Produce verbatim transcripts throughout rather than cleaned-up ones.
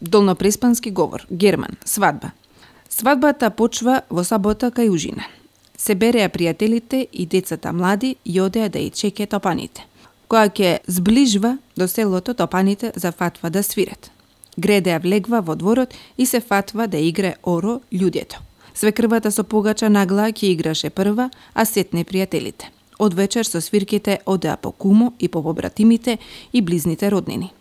Долнопреспански говор, Герман, свадба. Свадбата почва во сабота кај ужина. Се береа пријателите и децата млади и одеа да ја чеке топаните. Која ќе зближва до селото, топаните зафатва да свират. Гредеа влегва во дворот и се фатва да игре оро луѓето. Свекрвата со погача нагла ќе играше прва, а сетне пријателите. Од вечер со свирките одеа по кумо и по побратимите и близните роднини.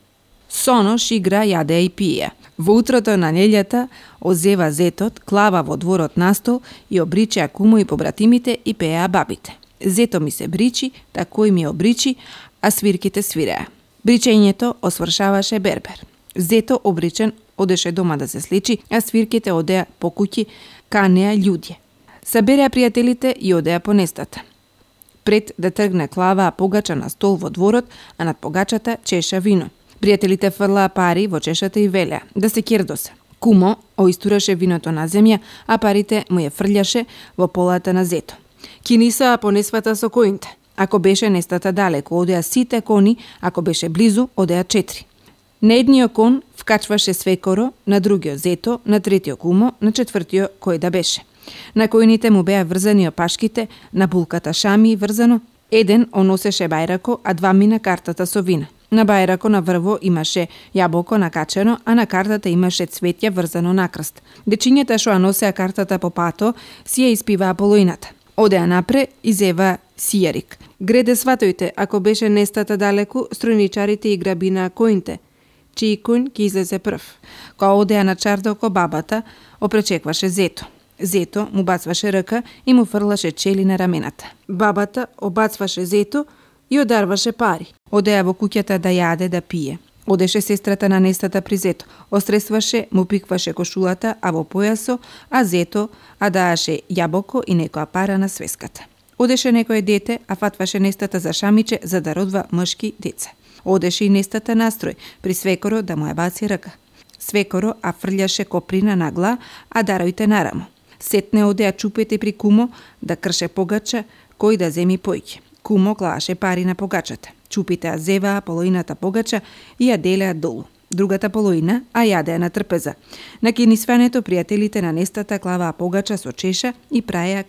Сонош игра, јадеа и пиеа. Во утрото на неделјата озева зетот, клава во дворот на стол и обричеа кумо и побратимите и пееа бабите. Зето ми се бричи, тако и ми обричи, а свирките свиреа. Бричењето освршаваше бербер. Зето обричен одеше дома да се слечи, а свирките одеа по куќи, канеа луѓе. Сабереа пријателите и одеа по нестата. Пред да тргне клава погача на стол во дворот, а над погачата чеша вино. Пријателите фрлаа пари во чешата и велеа да се кердосе. Кумо оистураше виното на земја, а парите му ја фрљаше во полата на зето. Кинисаа по несвата со коните. Ако беше нестата далеко, одеа сите кони, ако беше близу, одеа четири. На едниот кон вкачваше свекоро, на другиот зето, на третиот кумо, на четвртиот кој да беше. На којните му беа врзани опашките, на булката шами врзано. Еден оносеше бајрако, а два мина картата со вина. На бајрако на врво имаше јаболко накачено, а на картата имаше цвеќе врзано на крст. Дечињата што ја носеа картата по пато, си ја испиваа полоината. Одеа напре и зева сијарик. Греде сватојте, ако беше нестата далеку, стројничарите и грабина коинте. Чиј коњ ќе излезе прв. Кога одеа на чардоко, бабата опречекваше зето. Зето му бацваше ръка и му фрлаше чели на рамената. Бабата обацваше зето и одарваше пари. Одеа во куќата да јаде, да пие. Одеше сестрата на нестата при зето. Остресваше, му пикваше кошулата, а во појасо, а зето а дааше јаболко и некоја пара на свеската. Одеше некој дете, а фатваше нестата за шамиче за да родва мъжки деца. Одеше и нестата настрој, при свекоро да му ја баци ръка. Свекоро а фрљаше коприна на гла, а даројте нарамо. Сетне одеа чупете при кумо да крше погача, кој да земи појќе. Кумо клаше пари на погачата. Чупите ја зеваа полоината погача и ја делеа долу. Другата полоина а јадеа на трпеза. На кинисването пријателите на нестата клаваа погача со чеша и праеа